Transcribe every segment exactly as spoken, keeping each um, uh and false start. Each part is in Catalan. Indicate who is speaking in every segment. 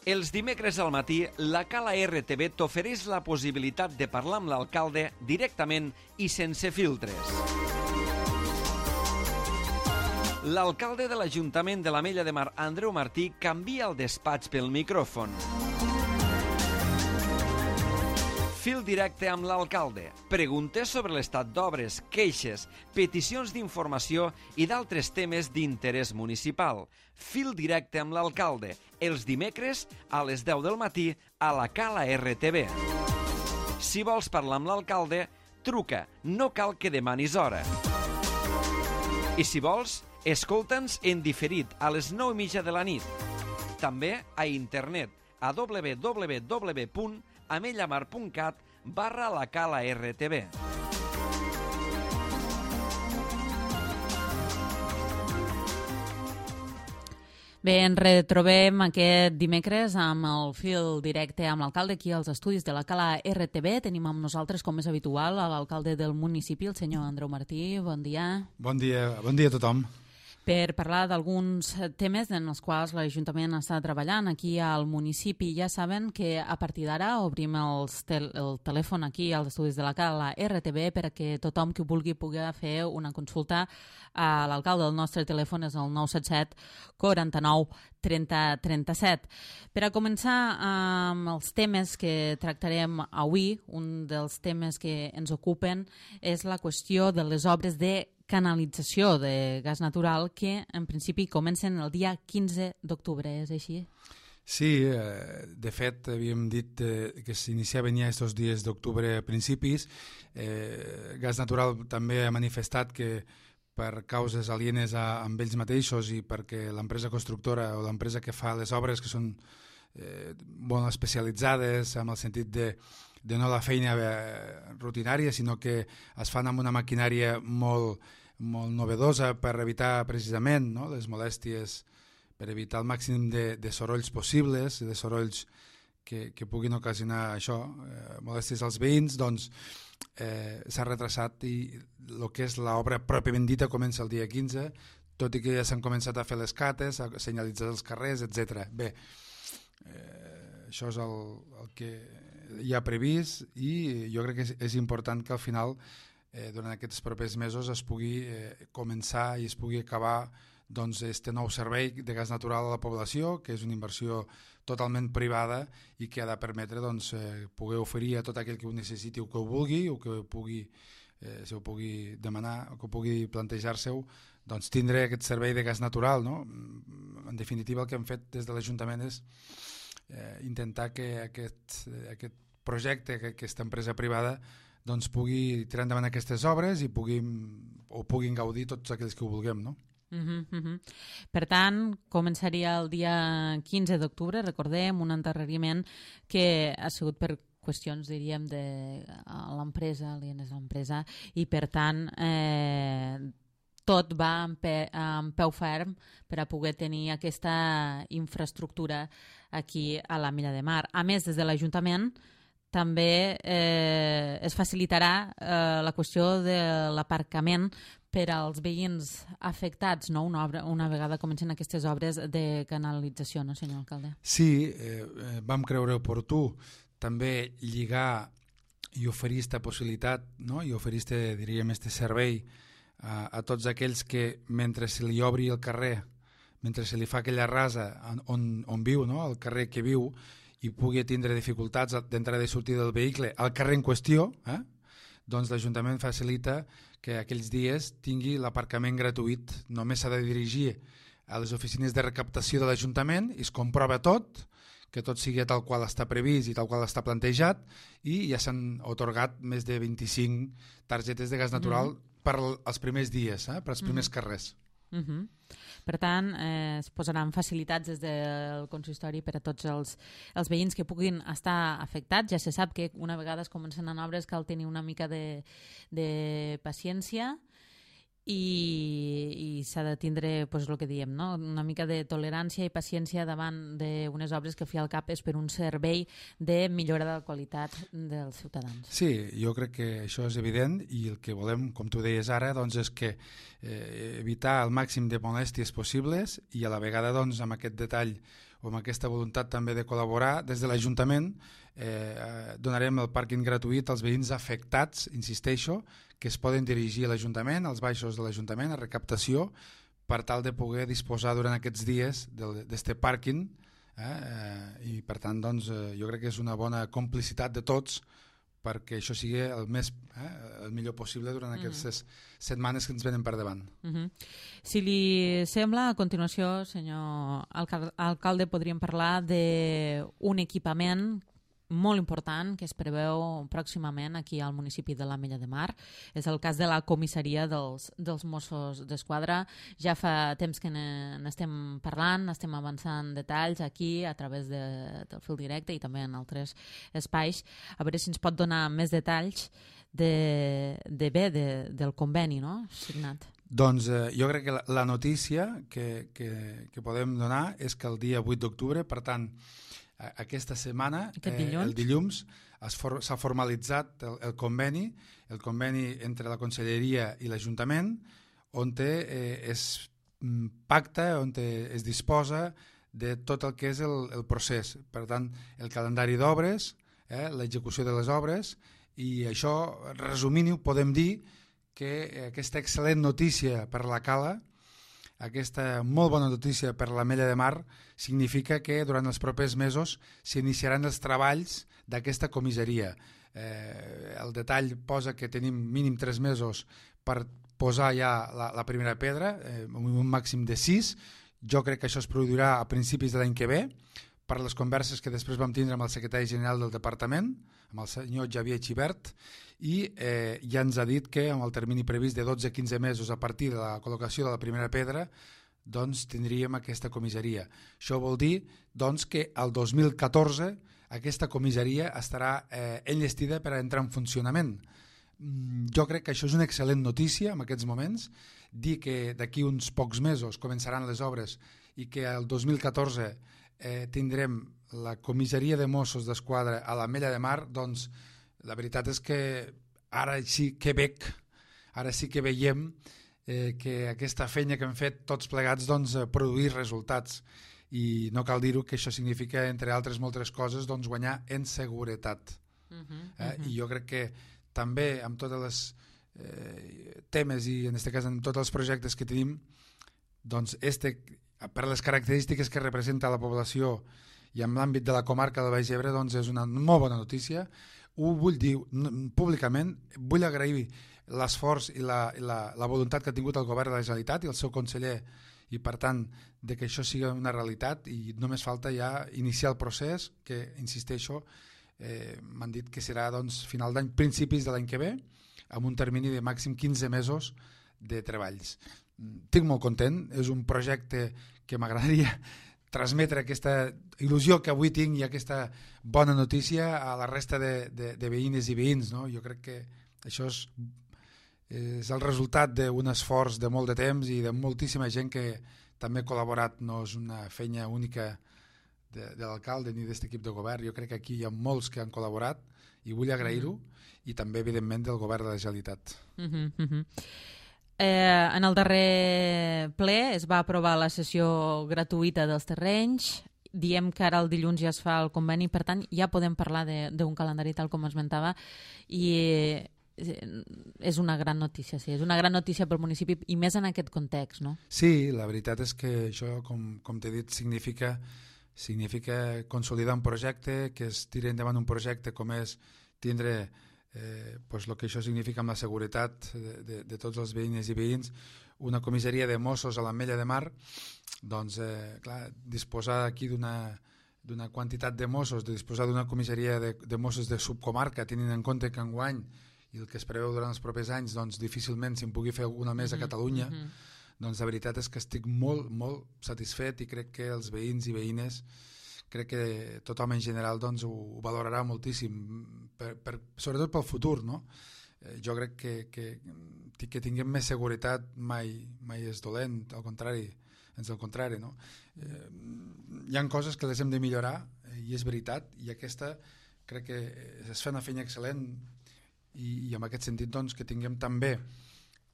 Speaker 1: Els dimecres al matí, la Cala R T V t'ofereix la possibilitat de parlar amb l'alcalde directament i sense filtres. L'alcalde de l'Ajuntament de l'Ametlla de Mar, Andreu Martí, canvia el despatx pel micròfon. Fil directe amb l'alcalde. Preguntes sobre l'estat d'obres, queixes, peticions d'informació i d'altres temes d'interès municipal. Fil directe amb l'alcalde. Els dimecres a les deu del matí a la Cala R T V. Si vols parlar amb l'alcalde, truca. No cal que demanis hora. I si vols, escolta'ns en diferit a les nou i mitja de la nit. També a internet a w w w punt amellamar punt cat barra la Cala R T V.
Speaker 2: Bé, ens retrobem aquest dimecres amb el fil directe amb l'alcalde aquí als estudis de la Cala R T V. Tenim amb nosaltres, com és habitual, l'alcalde del municipi, el senyor Andreu Martí. Bon dia.
Speaker 3: Bon dia, bon dia a tothom.
Speaker 2: Per parlar d'alguns temes en els quals l'Ajuntament està treballant aquí al municipi. Ja saben que a partir d'ara obrim els tel el telèfon aquí als estudis de la Cala R T V perquè tothom que vulgui pugui fer una consulta a l'alcalde. El nostre telèfon és el nou set set quaranta-nou trenta trenta-set. Per a començar amb els temes que tractarem avui, un dels temes que ens ocupen és la qüestió de les obres de canalització de gas natural que en principi comencen el dia quinze d'octubre, és així?
Speaker 3: Sí, eh, de fet havíem dit eh, que s'iniciaven ja aquests dies d'octubre a principis. Eh, Gas Natural també ha manifestat que per causes alienes a, amb ells mateixos i perquè l'empresa constructora o l'empresa que fa les obres que són eh, molt especialitzades en el sentit de de no la feina eh, rutinària, sinó que es fan amb una maquinària molt, molt novedosa per evitar precisament, no?, les molèsties, per evitar el màxim de, de sorolls possibles, de sorolls que, que puguin ocasionar això, eh, molèsties als veïns. Doncs eh, s'ha retrasat i el que és l'obra pròpiament dita comença el dia quinze, tot i que ja s'han començat a fer les cates, a senyalitzar els carrers, etcètera. Bé, eh, això és el, el que hi ha previst i jo crec que és, és important que al final eh, durant aquests propers mesos es pugui eh, començar i es pugui acabar doncs este nou servei de gas natural a la població, que és una inversió totalment privada i que ha de permetre doncs, eh, poder oferir a tot aquell que ho necessiti o que ho vulgui o que ho pugui, eh, si ho pugui demanar o que ho pugui plantejar-se-ho, doncs tindre aquest servei de gas natural, no? En definitiva, el que hem fet des de l'Ajuntament és Eh, intentar que aquest, aquest projecte, que aquesta empresa privada doncs pugui tirar endavant aquestes obres i puguin, o puguin gaudir tots aquells que ho vulguem, no?
Speaker 2: Uh-huh, uh-huh. Per tant, començaria el dia quinze d'octubre, recordem, un endarreriment que ha sigut per qüestions, diríem, de l'empresa, alienes a l'empresa, i per tant eh, tot va amb, pe, amb peu ferm per a poder tenir aquesta infraestructura aquí a l'Ametlla de Mar. A més, des de l'Ajuntament també eh, es facilitarà eh, la qüestió de l'aparcament per als veïns afectats, no? una, obra, una vegada comencen aquestes obres de canalització, no, senyor alcalde?
Speaker 3: Sí, eh, vam creure oportú també lligar i oferir aquesta possibilitat, no? I oferir este, diríem, este servei A, a tots aquells que mentre se li obri el carrer, mentre se li fa aquella rasa on, on viu, no? El carrer que viu, i pugui tindre dificultats d'entrada i sortida del vehicle al carrer en qüestió, eh? Doncs l'Ajuntament facilita que aquells dies tingui l'aparcament gratuït. Només s'ha de dirigir a les oficines de recaptació de l'Ajuntament i es comprova tot, que tot sigui tal qual està previst i tal qual està plantejat, i ja s'han otorgat més de vint-i-cinc targetes de gas natural mm. per als primers dies, eh? Per als primers mm. carrers.
Speaker 2: Uh -huh. Per tant, eh, es posaran facilitats des del consistori per a tots els, els veïns que puguin estar afectats. Ja se sap que una vegada es comencen en obres cal tenir una mica de, de paciència i, i s'ha de tindre pues, el que diem, no? Una mica de tolerància i paciència davant d'unes obres que, al fi al cap, és per un servei de millora de la qualitat dels ciutadans.
Speaker 3: Sí, jo crec que això és evident i el que volem, com tu deies ara, doncs, és que eh, evitar el màxim de molèsties possibles i a la vegada doncs, amb aquest detall o amb aquesta voluntat també de col·laborar, des de l'Ajuntament eh, donarem el pàrquing gratuït als veïns afectats, insisteixo, que es poden dirigir a l'Ajuntament, als baixos de l'Ajuntament, a recaptació, per tal de poder disposar durant aquests dies d'aquest pàrquing, eh, eh, i per tant doncs, eh, jo crec que és una bona complicitat de tots perquè això sigui el, més, eh, el millor possible durant mm. aquestes setmanes que ens venen per davant.
Speaker 2: Mm -hmm. Si li sembla, a continuació, senyor alcal alcalde, podríem parlar d'un equipament molt important que es preveu pròximament aquí al municipi de l'Ametlla de Mar. És el cas de la comissaria dels, dels Mossos d'Esquadra. Ja fa temps que n'estem parlant, estem avançant detalls aquí a través de, del fil directe i també en altres espais. A veure si ens pot donar més detalls de, de bé de, del conveni, no?, signat.
Speaker 3: Doncs eh, jo crec que la, la notícia que, que, que podem donar és que el dia vuit d'octubre, per tant, aquesta setmana,
Speaker 2: dilluns?
Speaker 3: eh, el dilluns, s'ha for, formalitzat el, el conveni, el conveni entre la Conselleria i l'Ajuntament, on eh, es pacta, on es disposa de tot el que és el, el procés. Per tant, el calendari d'obres, eh, l'execució de les obres, i això, resumint-ho, podem dir que aquesta excel·lent notícia per la Cala, aquesta molt bona notícia per l'Ametlla de Mar, significa que durant els propers mesos s'iniciaran els treballs d'aquesta comissaria. Eh, el detall posa que tenim mínim tres mesos per posar ja la, la primera pedra, eh, un màxim de sis. Jo crec que això es produirà a principis de l'any que ve, per les converses que després vam tindre amb el secretari general del departament, amb el senyor Xavier Xibert, i eh, ja ens ha dit que amb el termini previst de dotze a quinze mesos a partir de la col·locació de la primera pedra, doncs tindríem aquesta comissaria. Això vol dir doncs, que el dos mil catorze aquesta comissaria estarà eh, enllestida per a entrar en funcionament. Jo crec que això és una excel·lent notícia en aquests moments, dir que d'aquí uns pocs mesos començaran les obres i que el dos mil catorze eh, tindrem la comissaria de Mossos d'Esquadra a l'Ametlla de Mar, doncs la veritat és que ara sí que veig, ara sí que veiem eh, que aquesta feina que hem fet tots plegats doncs, produir resultats, i no cal dir-ho que això significa, entre altres moltes coses, doncs, guanyar en seguretat. Uh -huh, uh -huh. Eh? I jo crec que també amb tots els eh, temes i en aquest cas amb tots els projectes que tenim, doncs este, per les característiques que representa la població i en l'àmbit de la comarca del Baix Ebre, doncs és una molt bona notícia. Ho vull dir públicament, vull agrair l'esforç i, la, i la, la voluntat que ha tingut el govern de la Generalitat i el seu conseller, i per tant de que això sigui una realitat, i només falta ja iniciar el procés, que insisteixo, eh, m'han dit que serà doncs, final d'any, principis de l'any que ve, amb un termini de màxim quinze mesos de treballs. Estic molt content, és un projecte que m'agradaria transmetre aquesta il·lusió que avui tinc i aquesta bona notícia a la resta de, de, de veïnes i veïns, no? Jo crec que això és, és el resultat d'un esforç de molt de temps i de moltíssima gent que també ha col·laborat. No és una feina única de, de l'alcalde ni d'aquest equip de govern. Jo crec que aquí hi ha molts que han col·laborat i vull agrair-ho, mm-hmm. i també evidentment del govern de la Generalitat.
Speaker 2: Mm-hmm, mm-hmm. Eh, en el darrer ple es va aprovar la cessió gratuïta dels terrenys. Diem que ara el dilluns ja es fa el conveni, per tant ja podem parlar d'un calendari tal com esmentava, i és una gran notícia, sí, és una gran notícia pel municipi i més en aquest context, no?
Speaker 3: Sí, la veritat és que això, com, com t'he dit, significa, significa consolidar un projecte, que es tiri endavant un projecte com és tindre Eh, pues el que això significa amb la seguretat de, de, de tots els veïnes i veïns, una comissaria de Mossos a l'Ametlla de Mar, doncs eh, clar, disposar aquí d'una d'una quantitat de Mossos, de disposar d'una comissaria de, de Mossos de subcomarca, tenint en compte que enguany i el que es preveu durant els propers anys, doncs difícilment se'n pugui fer una més a Catalunya, mm-hmm. doncs la veritat és que estic molt, molt satisfet, i crec que els veïns i veïnes, crec que tothom en general doncs, ho, ho valorarà moltíssim, per, per, sobretot pel futur, no? Eh, jo crec que, que, que tinguem més seguretat mai, mai és dolent, al contrari, ens al contrari, no? Eh, hi ha coses que les hem de millorar, eh, i és veritat, i aquesta crec que es fa una feina excel·lent, i, i en aquest sentit doncs, que tinguem també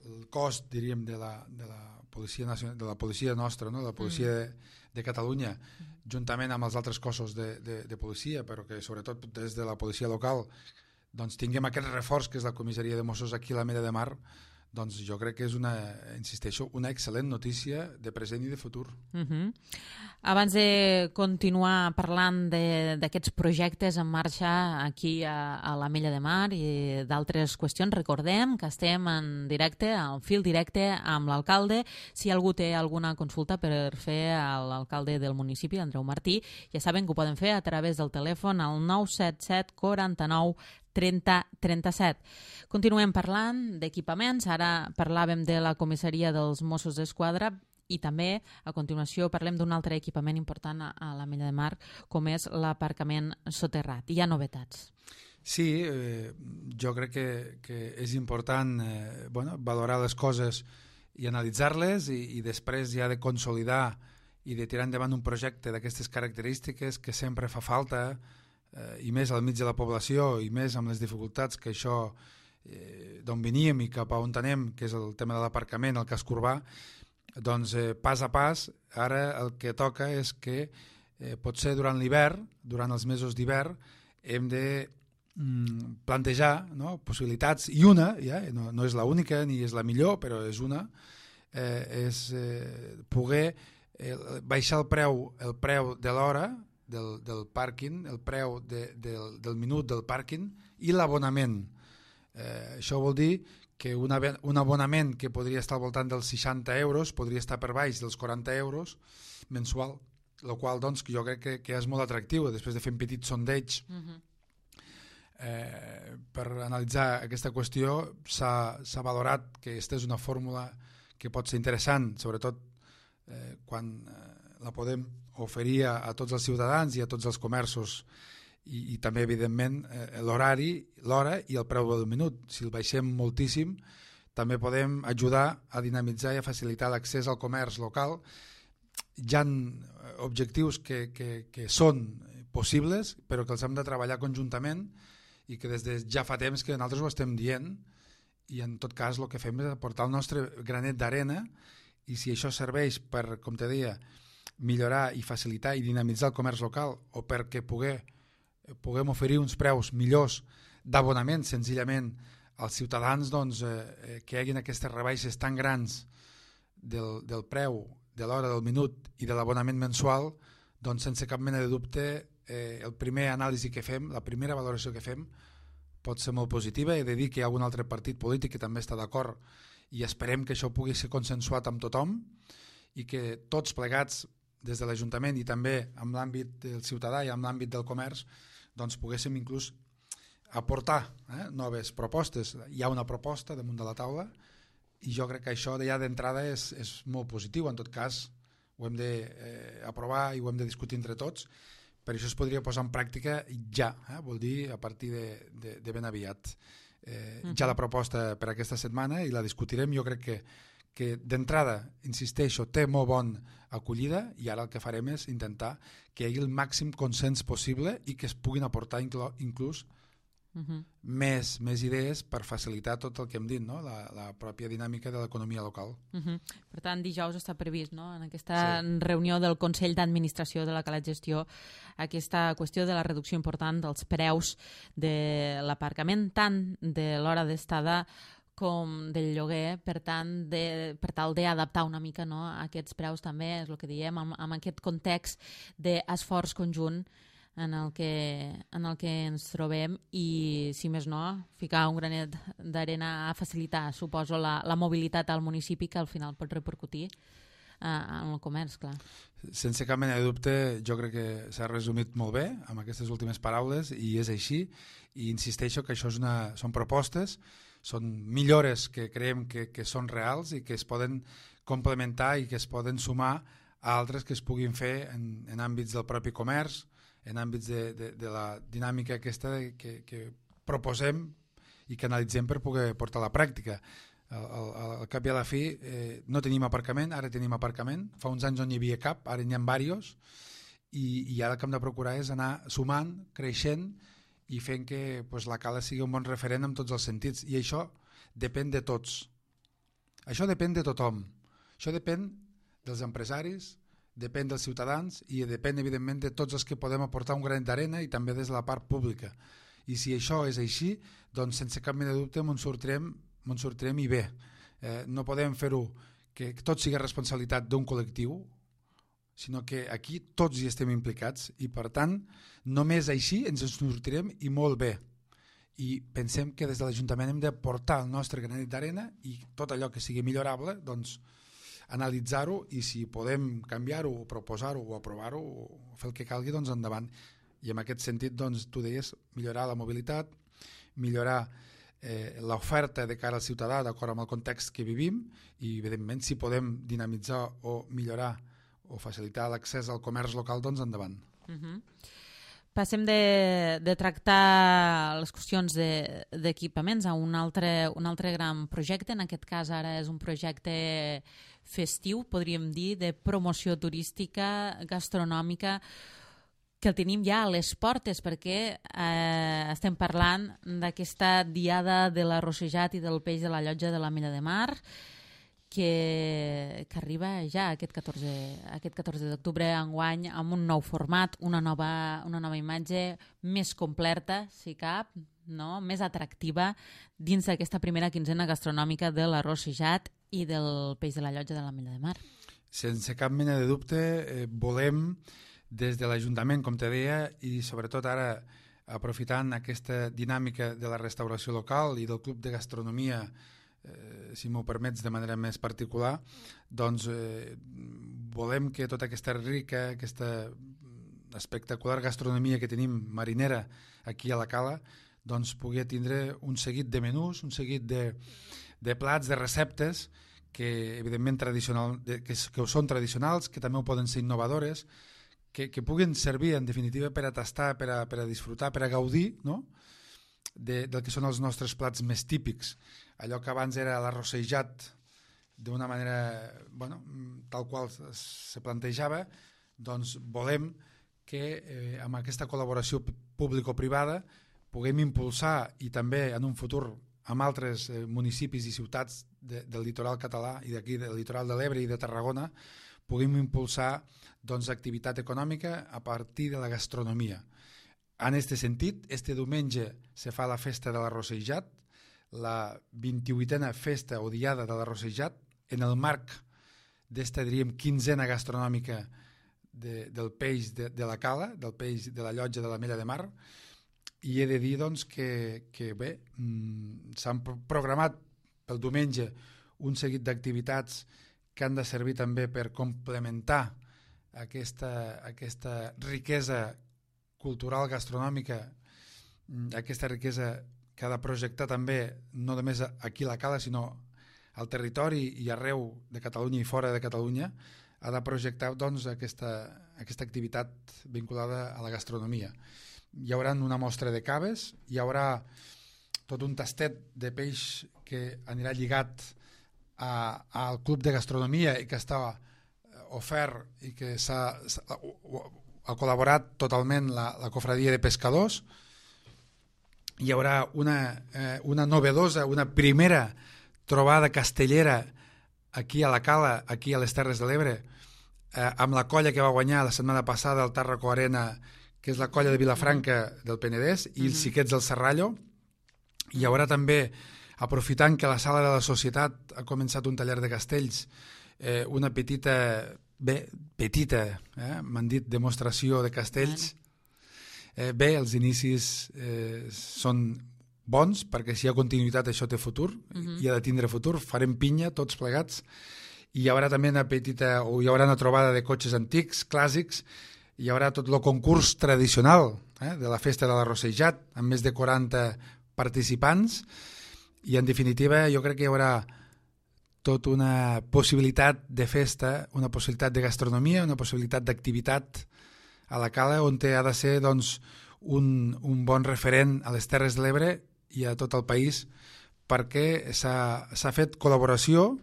Speaker 3: el cost, diríem, de la, de la policia nacional, de la policia nostra, no? De la policia mm. de, de Catalunya, juntament amb els altres cossos de, de, de policia, però que sobretot des de la policia local doncs tinguem aquest reforç que és la comissaria de Mossos aquí a la Mella de Mar, doncs jo crec que és una, insisteixo, una excel·lent notícia de present i de futur.
Speaker 2: Uh-huh. Abans de continuar parlant d'aquests projectes en marxa aquí a, a la Mella de Mar i d'altres qüestions, recordem que estem en directe, al fil directe amb l'alcalde. Si algú té alguna consulta per fer a l'alcalde del municipi, Andreu Martí, ja saben que ho poden fer a través del telèfon al nou set set quaranta-nou trenta trenta-set. Continuem parlant d'equipaments. Ara parlàvem de la comissaria dels Mossos d'Esquadra i també a continuació parlem d'un altre equipament important a, a la Mella de Mar, com és l'aparcament soterrat. Hi ha novetats.
Speaker 3: Sí, eh, jo crec que, que és important eh, bueno, valorar les coses i analitzar-les i, i després ja de consolidar i de tirar endavant un projecte d'aquestes característiques que sempre fa falta, i més al mig de la població i més amb les dificultats que això eh, d'on veníem i cap a on anem, que és el tema de l'aparcament, el casc urbà, doncs eh, pas a pas ara el que toca és que eh, potser durant l'hivern, durant els mesos d'hivern, hem de mm, plantejar, no, possibilitats, i una, ja, no, no és l'única ni és la millor, però és una, eh, és eh, poder eh, baixar el preu, el preu de l'hora Del, del pàrquing, el preu de, del, del minut del pàrquing i l'abonament. Eh, això vol dir que un, un abonament que podria estar al voltant dels seixanta euros podria estar per baix dels quaranta euros mensual, el qual doncs, jo crec que, que és molt atractiu després de fer un petit sondeig. Uh-huh. eh, per analitzar aquesta qüestió s'ha valorat que aquesta és una fórmula que pot ser interessant, sobretot eh, quan eh, la podem oferir a, a tots els ciutadans i a tots els comerços i, i també evidentment eh, l'horari, l'hora i el preu del minut. Si el baixem moltíssim també podem ajudar a dinamitzar i a facilitar l'accés al comerç local. Hi ha objectius que, que, que són possibles però que els hem de treballar conjuntament i que des de ja fa temps que nosaltres ho estem dient i en tot cas el que fem és aportar el nostre granet d'arena i si això serveix per, com te deia, millorar i facilitar i dinamitzar el comerç local o perquè poder, puguem oferir uns preus millors d'abonament senzillament als ciutadans, doncs, eh, que hi hagin aquestes rebaixes tan grans del, del preu, de l'hora, del minut i de l'abonament mensual, doncs sense cap mena de dubte eh, el primer anàlisi que fem, la primera valoració que fem pot ser molt positiva. He de dir que hi ha algun altre partit polític que també està d'acord i esperem que això pugui ser consensuat amb tothom i que tots plegats des de l'Ajuntament i també amb l'àmbit del ciutadà i amb l'àmbit del comerç doncs poguéssim inclús aportar eh, noves propostes. Hi ha una proposta damunt de la taula i jo crec que això ja d'entrada és, és molt positiu. En tot cas ho hem d'aprovar eh, i ho hem de discutir entre tots, per això es podria posar en pràctica ja, eh, vol dir a partir de, de, de ben aviat. Eh, uh-huh. Ja la proposta per aquesta setmana i la discutirem. Jo crec que que d'entrada, insisteixo, té molt bona acollida i ara el que farem és intentar que hi hagi el màxim consens possible i que es puguin aportar inclú, inclús uh-huh. més, més idees per facilitar tot el que hem dit, no? la, la pròpia dinàmica de l'economia local.
Speaker 2: Uh-huh. Per tant, dijous està previst, no? En aquesta sí. reunió del Consell d'Administració de la Cala Gestió, aquesta qüestió de la reducció important dels preus de l'aparcament, tant de l'hora d'estada com del lloguer, per tant, de, per tal d'adaptar una mica, no, a aquests preus també, és el que diem, amb, amb aquest context d'esforç conjunt en el, que, en el que ens trobem i, si més no, ficar un granet d'arena a facilitar, suposo, la, la mobilitat al municipi que al final pot repercutir eh, en el comerç, clar.
Speaker 3: Sense cap mena de dubte, jo crec que s'ha resumit molt bé amb aquestes últimes paraules i és així, i insisteixo que això és una, són propostes, són millores que creiem que, que són reals i que es poden complementar i que es poden sumar a altres que es puguin fer en, en àmbits del propi comerç, en àmbits de, de, de la dinàmica aquesta de, que, que proposem i que analitzem per poder portar a la pràctica. Al, al, al cap i a la fi eh, no tenim aparcament, ara tenim aparcament, fa uns anys no n'hi havia cap, ara n'hi ha diversos i, i ara el que hem de procurar és anar sumant, creixent i fent que pues, la Cala sigui un bon referent en tots els sentits i això depèn de tots, això depèn de tothom, això depèn dels empresaris, depèn dels ciutadans i depèn, evidentment, de tots els que podem aportar un granet d'arena i també des de la part pública. I si això és així, doncs sense cap mena de dubte me'n sortirem, me'n sortirem i bé. Eh, no podem fer-ho que tot sigui responsabilitat d'un col·lectiu, sinó que aquí tots hi estem implicats i, per tant, només així ens en sortirem i molt bé. I pensem que des de l'Ajuntament hem de portar el nostre granet d'arena i tot allò que sigui millorable, doncs, analitzar-ho i si podem canviar-ho o proposar-ho o aprovar-ho o fer el que calgui, doncs endavant. I en aquest sentit, doncs, tu deies, millorar la mobilitat, millorar eh, l'oferta de cara al ciutadà d'acord amb el context que vivim i, evidentment, si podem dinamitzar o millorar o facilitar l'accés al comerç local, doncs endavant.
Speaker 2: Uh-huh. Passem de, de tractar les qüestions d'equipaments de, a un altre, un altre gran projecte. En aquest cas ara és un projecte festiu, podríem dir, de promoció turística, gastronòmica, que el tenim ja a les portes perquè eh, estem parlant d'aquesta diada de l'arrossejat i del peix de la llotja de la Mella de Mar, que, que arriba ja aquest catorze, aquest catorze d'octubre enguany amb un nou format, una nova, una nova imatge més completa, si cap, no? Més atractiva dins d'aquesta primera quinzena gastronòmica de l'arrossejat i del peix de la llotja de la Mella de Mar.
Speaker 3: Sense cap mena de dubte, eh, volem des de l'Ajuntament, com te deia, i sobretot ara aprofitant aquesta dinàmica de la restauració local i del Club de Gastronomia, eh, si m'ho permets de manera més particular, doncs eh, volem que tota aquesta rica, aquesta espectacular gastronomia que tenim marinera aquí a la Cala, doncs pugui tindre un seguit de menús, un seguit de, de plats, de receptes que evidentment tradicional, que, que són tradicionals, que també ho poden ser innovadores, que, que puguin servir en definitiva per a tastar, per a, per a disfrutar, per a gaudir, no? de, del que són els nostres plats més típics. Allò que abans era l'arrossejat d'una manera, bueno, tal qual se plantejava, doncs volem que eh, amb aquesta col·laboració público-privada puguem impulsar i també en un futur amb altres eh, municipis i ciutats de, del litoral català i d'aquí del litoral de l'Ebre i de Tarragona puguem impulsar doncs, activitat econòmica a partir de la gastronomia. En aquest sentit, este diumenge se fa la festa de l'arrossejat, la vint-i-vuitena festa o diada de l'arrossejat, en el marc d'esta, diríem, quinzena gastronòmica de, del peix de, de la Cala, del peix de la llotja de la Mella de Mar, i he de dir doncs, que, que bé, mmm, s'han programat pel diumenge un seguit d'activitats que han de servir també per complementar aquesta, aquesta riquesa cultural, gastronòmica, aquesta riquesa que ha de projectar també no només aquí a la Cala, sinó al territori i arreu de Catalunya i fora de Catalunya, ha de projectar doncs, aquesta, aquesta activitat vinculada a la gastronomia. Hi haurà una mostra de caves, hi haurà tot un tastet de peix que anirà lligat a, al Club de Gastronomia i que està ofert i que s'ha, ha col·laborat totalment la, la cofradia de pescadors. Hi haurà una, eh, una novedosa, una primera trobada castellera aquí a la Cala, aquí a les Terres de l'Ebre, eh, amb la colla que va guanyar la setmana passada al Tàrraco Arena, que és la colla de Vilafranca del Penedès, i els xiquets del Serrallo. Hi haurà també, aprofitant que la Sala de la Societat ha començat un taller de castells, eh, una petita, bé, petita, eh, m'han dit, demostració de castells. Eh, bé, els inicis eh, són bons, perquè si hi ha continuïtat això té futur, uh-huh. i ha de tindre futur, farem pinya tots plegats, i hi haurà també una petita, o hi haurà una trobada de cotxes antics, clàssics, hi haurà tot el concurs tradicional eh, de la festa de l'arrossejat, amb més de quaranta participants, i en definitiva jo crec que hi haurà tota una possibilitat de festa, una possibilitat de gastronomia, una possibilitat d'activitat a la Cala, on ha de ser doncs, un, un bon referent a les Terres de l'Ebre i a tot el país, perquè s'ha fet col·laboració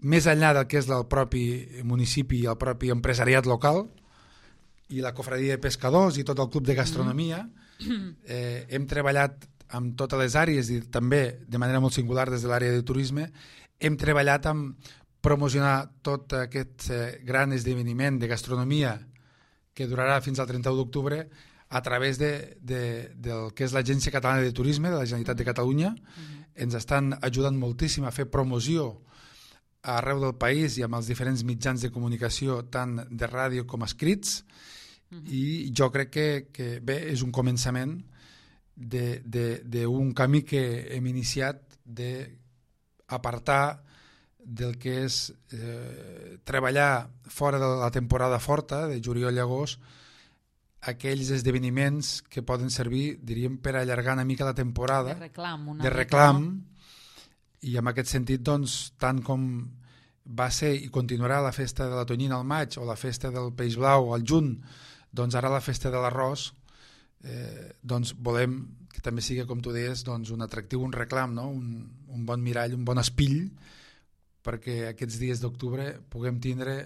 Speaker 3: més enllà del que és el propi municipi i el propi empresariat local i la cofradia de pescadors i tot el club de gastronomia. Eh, hem treballat amb totes les àrees i també de manera molt singular des de l'àrea de turisme, hem treballat amb promocionar tot aquest eh, gran esdeveniment de gastronomia que durarà fins al trenta-u d'octubre a través de, de, del que és l'Agència Catalana de Turisme de la Generalitat de Catalunya. Mm-hmm. Ens estan ajudant moltíssim a fer promoció arreu del país i amb els diferents mitjans de comunicació, tant de ràdio com escrits, mm-hmm. i jo crec que, que bé, és un començament d'un camí que hem iniciat d'apartar del que és eh, treballar fora de la temporada forta, de juliol i agost, aquells esdeveniments que poden servir, diríem, per allargar una mica la temporada.
Speaker 2: De reclam. Una
Speaker 3: de reclam, i en aquest sentit, doncs, tant com va ser i continuarà la festa de la tonyina al maig o la festa del peix blau al juny, doncs ara la festa de l'arròs, eh, doncs volem que també sigui, com tu deies, doncs un atractiu, un reclam, no? un, un bon mirall, un bon espill, perquè aquests dies d'octubre puguem tindre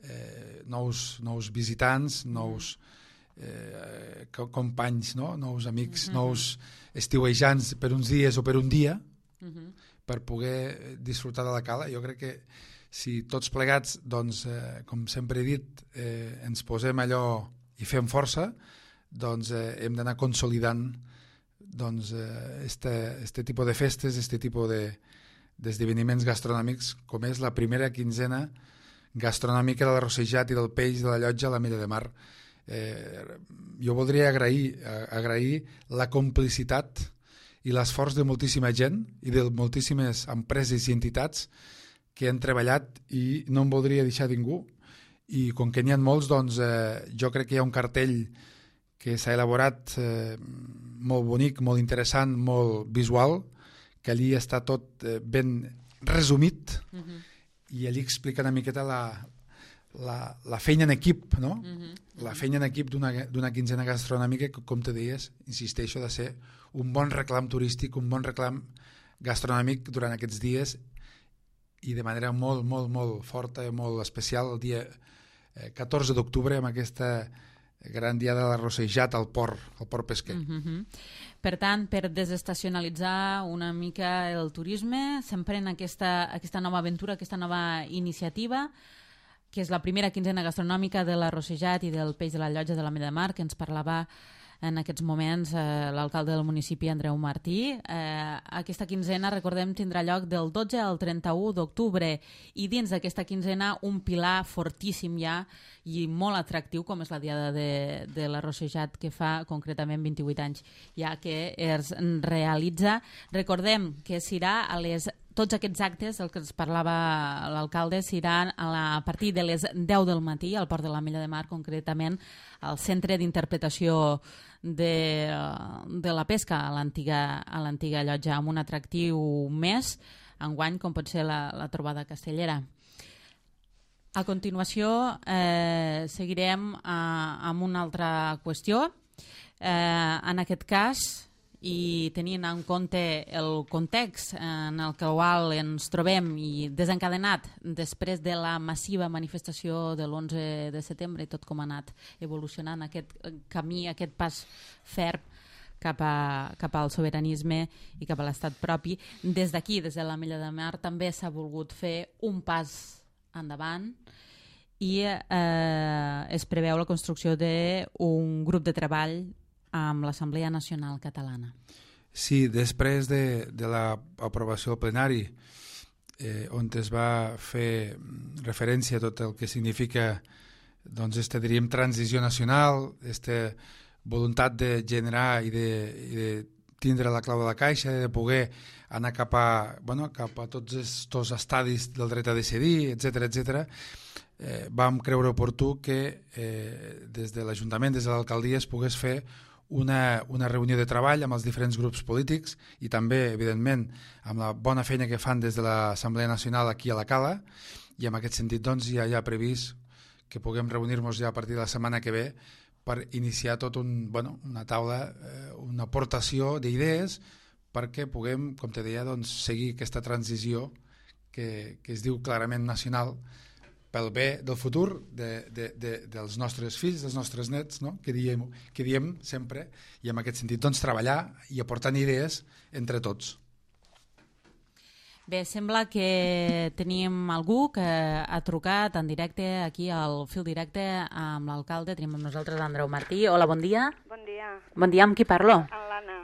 Speaker 3: eh, nous, nous visitants, nous eh, companys, no? Nous amics, mm-hmm. nous estiuejants per uns dies o per un dia, mm-hmm. per poder disfrutar de la cala. Jo crec que si tots plegats, doncs, eh, com sempre he dit, eh, ens posem allò i fem força, doncs eh, hem d'anar consolidant doncs, eh, este, este tipus de festes, este tipus de d'esdeveniments gastronòmics, com és la primera quinzena gastronòmica de l'arrossejat i del peix de la Llotja a la Mella de Mar. Eh, jo voldria agrair, agrair la complicitat i l'esforç de moltíssima gent i de moltíssimes empreses i entitats que han treballat, i no em voldria deixar ningú, i com que n'hi ha molts, doncs eh, jo crec que hi ha un cartell que s'ha elaborat eh, molt bonic, molt interessant, molt visual, que allí està tot eh, ben resumit, uh-huh. i allí explica una miqueta la, la, la feina en equip, no? Uh-huh. La feina en equip d'una quinzena gastronòmica que, com te deies, insisteixo, de ser un bon reclam turístic, un bon reclam gastronòmic durant aquests dies, i de manera molt, molt, molt forta i molt especial el dia eh, catorze d'octubre, amb aquesta gran dia de l'arrossejat al port, al port pesquer.
Speaker 2: Uh-huh. Per tant, per desestacionalitzar una mica el turisme, s'emprèn aquesta, aquesta nova aventura, aquesta nova iniciativa, que és la primera quinzena gastronòmica de l'arrossejat i del peix de la Llotja de la Mella de Mar, que ens parlava en aquests moments eh, l'alcalde del municipi, Andreu Martí. Eh, aquesta quinzena, recordem, tindrà lloc del dotze al trenta-u d'octubre, i dins d'aquesta quinzena un pilar fortíssim ja i molt atractiu, com és la diada de, de l'arrossejat, que fa concretament vint-i-vuit anys ja que es realitza. Recordem que serà a les tots aquests actes, el que ens parlava l'alcalde, seran a, la, a partir de les deu del matí al Port de la Mella de Mar, concretament al Centre d'Interpretació de, de la Pesca a l'antiga a l'antiga llotja, amb un atractiu més enguany, com pot ser la, la trobada castellera. A continuació eh, seguirem eh, amb una altra qüestió. Eh, en aquest cas, i tenint en compte el context en el qual ens trobem i desencadenat després de la massiva manifestació de l'onze de setembre i tot com ha anat evolucionant aquest camí, aquest pas ferm cap, a, cap al sobiranisme i cap a l'estat propi, des d'aquí, des de la Mella de Mar, també s'ha volgut fer un pas endavant, i eh, es preveu la construcció d'un grup de treball amb l'Assemblea Nacional Catalana.
Speaker 3: Sí, després de, de l'aprovació al plenari, eh, on es va fer referència a tot el que significa, doncs, este, diríem, transició nacional, esta voluntat de generar i de, i de tindre la clau de la caixa, de poder anar cap a, bueno, cap a tots aquests estadis del dret a decidir, etcètera, etcètera. Eh, vam creure oportú que eh, des de l'Ajuntament, des de l'alcaldia, es pogués fer Una, una reunió de treball amb els diferents grups polítics i també, evidentment, amb la bona feina que fan des de l'Assemblea Nacional aquí a la Cala, i en aquest sentit doncs, ja hi ha previst que puguem reunir-nos ja a partir de la setmana que ve per iniciar tot un, bueno, una taula, eh, una aportació d'idees perquè puguem, com te deia, doncs, seguir aquesta transició que, que es diu clarament nacional, pel bé del futur de, de, de, dels nostres fills, dels nostres nets, no? que, diem, que diem sempre, i en aquest sentit doncs, treballar i aportant idees entre tots.
Speaker 2: Bé, sembla que tenim algú que ha trucat en directe aquí al fil directe amb l'alcalde. Tenim amb nosaltres Andreu Martí. Hola, bon dia.
Speaker 4: Bon dia.
Speaker 2: Bon dia, amb qui parlo?
Speaker 4: Amb l'Anna.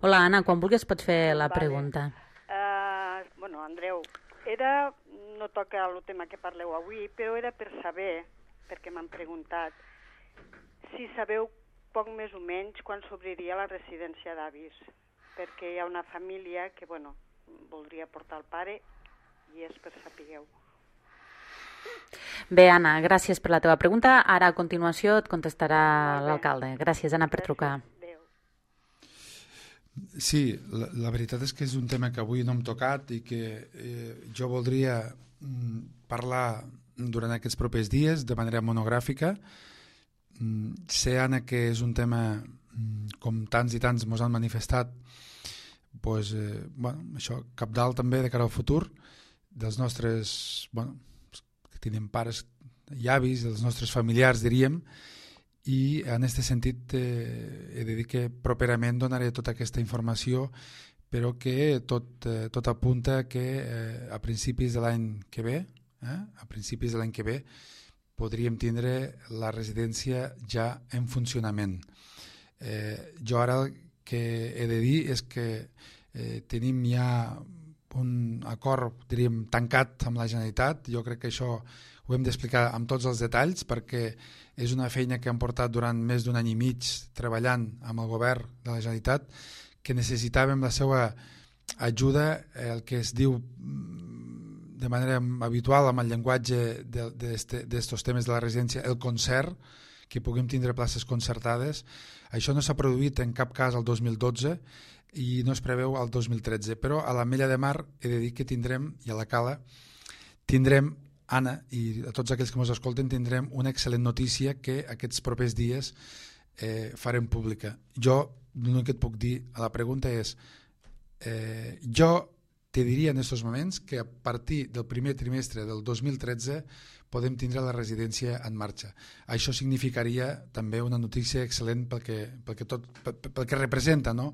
Speaker 2: Hola, Anna, quan vulguis pots fer la
Speaker 4: Vale.
Speaker 2: pregunta.
Speaker 4: Uh, bueno, Andreu, era, no toca el tema que parleu avui, però era per saber, perquè m'han preguntat, si sabeu poc més o menys quan s'obriria la residència d'avis, perquè hi ha una família que, bueno, voldria portar el pare i és per sapigueu.
Speaker 2: Bé, Anna, gràcies per la teva pregunta. Ara, a continuació, et contestarà
Speaker 4: Molt bé.
Speaker 2: l'alcalde. Gràcies, Anna, per
Speaker 4: Gràcies.
Speaker 2: trucar.
Speaker 4: Adéu.
Speaker 3: Sí, la, la veritat és que és un tema que avui no hem tocat i que eh, jo voldria mm, parlar durant aquests propers dies de manera monogràfica. Mm, sé, Anna, que és un tema, mm, com tants i tants ens han manifestat, pues, eh, bueno, això cabdal també de cara al futur dels nostres, bueno, que tenim pares i avis, dels nostres familiars, diríem, i en aquest sentit eh, he de dir que properament donaré tota aquesta informació, però que tot, eh, tot apunta que eh, a principis de l'any que ve, eh, a principis de l'any que ve, podríem tindre la residència ja en funcionament. Eh, jo ara el que he de dir és que eh, tenim ja un acord, diríem, tancat amb la Generalitat. Jo crec que això ho hem d'explicar amb tots els detalls perquè és una feina que hem portat durant més d'un any i mig treballant amb el govern de la Generalitat, que necessitàvem la seva ajuda, el que es diu de manera habitual amb el llenguatge d'aquests temes de la residència, el concert, que puguem tindre places concertades. Això no s'ha produït en cap cas el dos mil dotze i no es preveu el dos mil tretze, però a l'Ametlla de Mar he de dir que tindrem, i a la Cala, tindrem, Anna, i a tots aquells que ens escolten, tindrem una excel·lent notícia que aquests propers dies eh, farem pública. Jo, l'únic que et puc dir a la pregunta és, eh, jo te diria en aquests moments que a partir del primer trimestre del dos mil tretze podem tindre la residència en marxa. Això significaria també una notícia excel·lent pel que, pel que, tot, pel, pel que representa, no?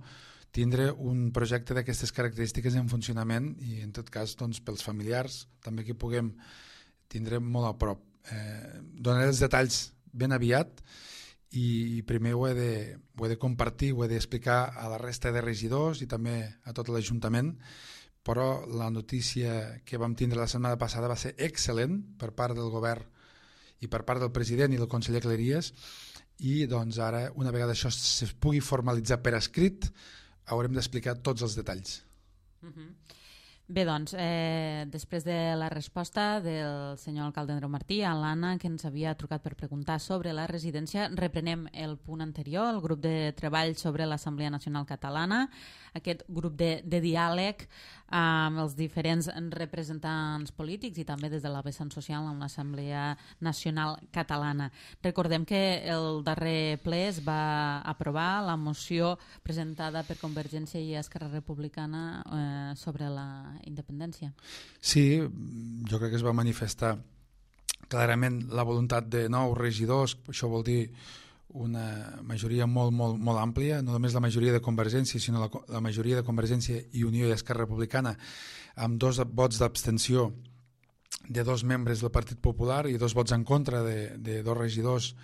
Speaker 3: Tindre un projecte d'aquestes característiques en funcionament i en tot cas doncs, pels familiars també que puguem tindre molt a prop. Eh, donaré els detalls ben aviat i primer ho he, de, ho he de compartir, ho he d'explicar a la resta de regidors i també a tot l'Ajuntament, però la notícia que vam tindre la setmana passada va ser excel·lent per part del govern i per part del president i del conseller Cleries i doncs ara, una vegada això es pugui formalitzar per escrit, haurem d'explicar tots els detalls.
Speaker 2: Uh-huh. Bé, doncs, eh, després de la resposta del senyor alcalde Andreu Martí a l'Anna, que ens havia trucat per preguntar sobre la residència, reprenem el punt anterior, el grup de treball sobre l'Assemblea Nacional Catalana, aquest grup de, de diàleg amb els diferents representants polítics i també des de la vessant social amb l'Assemblea Nacional Catalana. Recordem que el darrer ple es va aprovar la moció presentada per Convergència i Esquerra Republicana eh, sobre la independència.
Speaker 3: Sí, jo crec que es va manifestar clarament la voluntat de nous regidors, això vol dir una majoria molt, molt, molt àmplia, no només la majoria de Convergència, sinó la, la majoria de Convergència i Unió i Esquerra Republicana, amb dos vots d'abstenció de dos membres del Partit Popular i dos vots en contra de, de dos regidors,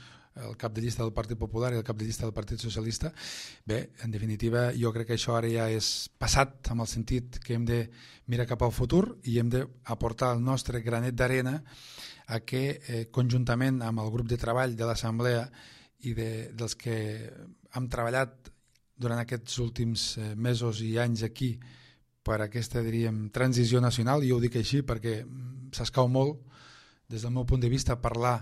Speaker 3: el cap de llista del Partit Popular i el cap de llista del Partit Socialista. Bé, en definitiva, jo crec que això ara ja és passat, amb el sentit que hem de mirar cap al futur i hem d'aportar el nostre granet d'arena a que, eh, conjuntament amb el grup de treball de l'Assemblea i de, dels que hem treballat durant aquests últims eh, mesos i anys aquí per aquesta, diríem, transició nacional, i jo ho dic així perquè s'escau molt, des del meu punt de vista, parlar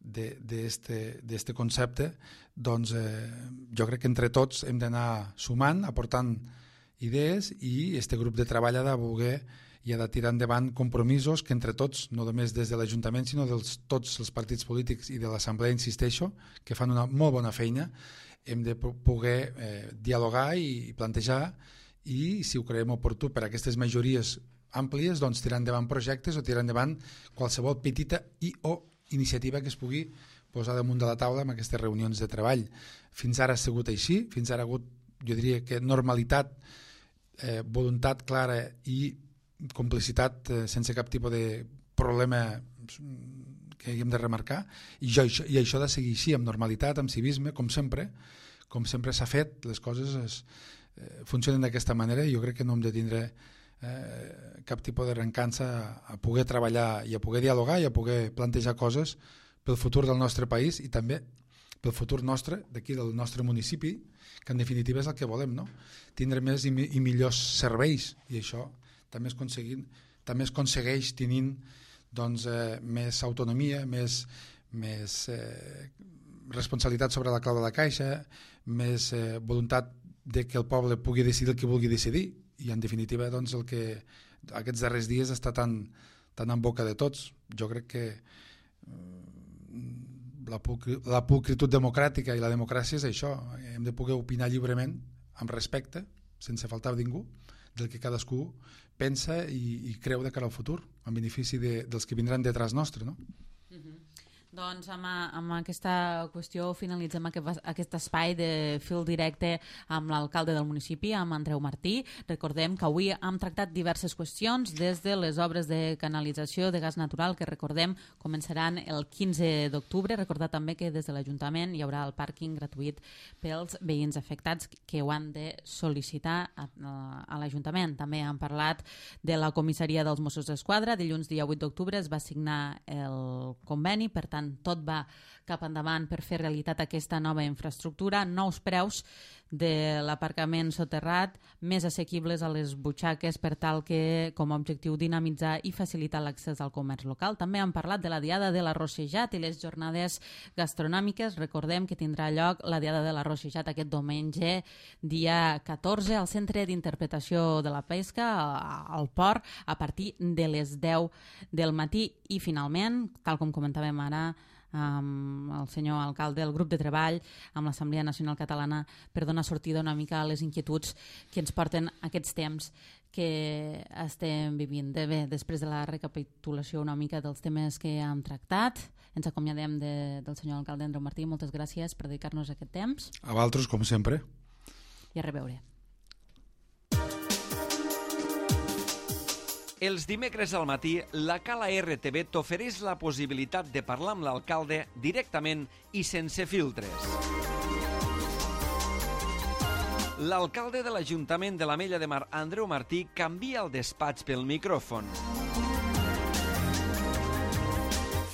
Speaker 3: d'aquest concepte, doncs eh, jo crec que entre tots hem d'anar sumant, aportant idees i aquest grup de treball ha de voler i ha de tirar endavant compromisos que entre tots, no només des de l'Ajuntament, sinó de tots els partits polítics i de l'Assemblea, insisteixo, que fan una molt bona feina, hem de poder eh, dialogar i plantejar i, si ho creiem oportú per a aquestes majories àmplies, doncs tirar endavant projectes o tirar endavant qualsevol petita i o iniciativa que es pugui posar damunt de la taula en aquestes reunions de treball. Fins ara ha sigut així, fins ara ha hagut, jo diria que normalitat, eh, voluntat clara i complicitat eh, sense cap tipus de problema que haguem de remarcar, i, jo, i això ha de seguir així, amb normalitat, amb civisme, com sempre, com sempre s'ha fet, les coses es, eh, funcionen d'aquesta manera, i jo crec que no hem de tindre eh, cap tipus de rencança a, a poder treballar i a poder dialogar i a poder plantejar coses pel futur del nostre país i també pel futur nostre, d'aquí del nostre municipi, que en definitiva és el que volem, no? Tindre més i, i millors serveis, i això també es, també es aconsegueix tenint doncs, eh, més autonomia, més, més eh, responsabilitat sobre la clau de la caixa, més eh, voluntat de que el poble pugui decidir el que vulgui decidir, i en definitiva doncs, el que aquests darrers dies està tan, tan en boca de tots. Jo crec que la, la pulcritud democràtica i la democràcia és això, hem de poder opinar lliurement, amb respecte, sense faltar a ningú, del que cadascú pensa i, i creu de cara al futur, en benefici de, dels que vindran detrás nostre, no?
Speaker 2: Mm-hmm. Doncs amb, amb aquesta qüestió finalitzem aquest, aquest espai de fil directe amb l'alcalde del municipi, amb Andreu Martí. Recordem que avui hem tractat diverses qüestions, des de les obres de canalització de gas natural, que recordem començaran el quinze d'octubre. Recordar també que des de l'Ajuntament hi haurà el pàrquing gratuït pels veïns afectats que ho han de sol·licitar a, a l'Ajuntament. També hem parlat de la comissaria dels Mossos d'Esquadra. Dilluns dia vuit d'octubre es va signar el conveni, per tant tot va cap endavant per fer realitat aquesta nova infraestructura, nous preus de l'aparcament soterrat, més assequibles a les butxaques per tal que, com a objectiu, dinamitzar i facilitar l'accés al comerç local. També hem parlat de la Diada de l'Arrossejat i les jornades gastronòmiques. Recordem que tindrà lloc la Diada de l'Arrossejat aquest diumenge, dia catorze, al Centre d'Interpretació de la Pesca, al Port, a partir de les deu del matí. I, finalment, tal com comentàvem ara, amb el senyor alcalde, el grup de treball amb l'Assemblea Nacional Catalana per donar sortida una mica a les inquietuds que ens porten aquests temps que estem vivint. De bé, després de la recapitulació una mica dels temes que hem tractat, ens acomiadem de, del senyor alcalde Andreu Martí. Moltes gràcies per dedicar-nos aquest temps.
Speaker 3: A vosaltres, com sempre.
Speaker 2: I a reveure.
Speaker 1: Els dimecres al matí, la Cala R T V t'ofereix la possibilitat de parlar amb l'alcalde directament i sense filtres. L'alcalde de l'Ajuntament de l'Ametlla de Mar, Andreu Martí, canvia el despatx pel micròfon.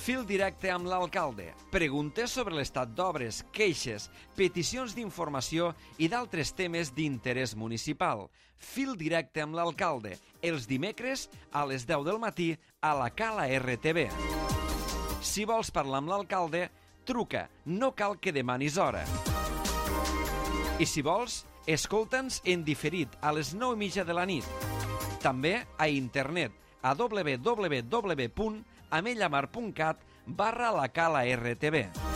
Speaker 1: Fil directe amb l'alcalde. Preguntes sobre l'estat d'obres, queixes, peticions d'informació i d'altres temes d'interès municipal. Fil directe amb l'alcalde. Els dimecres a les deu del matí a la Cala R T V. Si vols parlar amb l'alcalde, truca. No cal que demanis hora. I si vols, escolta'ns en diferit a les nou i mitja de la nit. També a internet a w w w punt amellamar punt cat barra la Cala R T V.